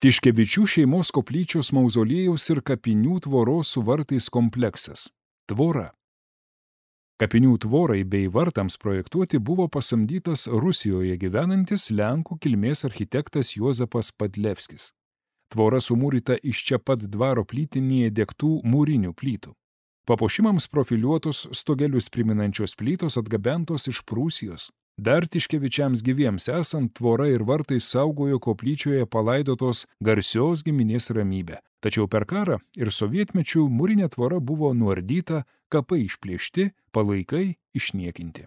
Tiškevičių šeimos koplyčios mauzoliejaus ir kapinių tvoros su vartais kompleksas. Tvora. Kapinių tvorai bei vartams projektuoti buvo pasamdytas Rusijoje gyvenantis lenkų kilmės architektas Juozapas Padlevskis. Tvora sumūryta iš čia pat dvaro plytinėje degtų mūrinių plytų. Papuošimams profiliuotos stogelius priminančios plytos atgabentos iš Prūsijos. Dar Tiškevičiams gyviems esant, tvora ir vartai saugojo koplyčioje palaidotos garsios giminės ramybę. Tačiau per karą ir sovietmečių mūrinė tvora buvo nuardyta, kapai išplėšti, palaikai išniekinti.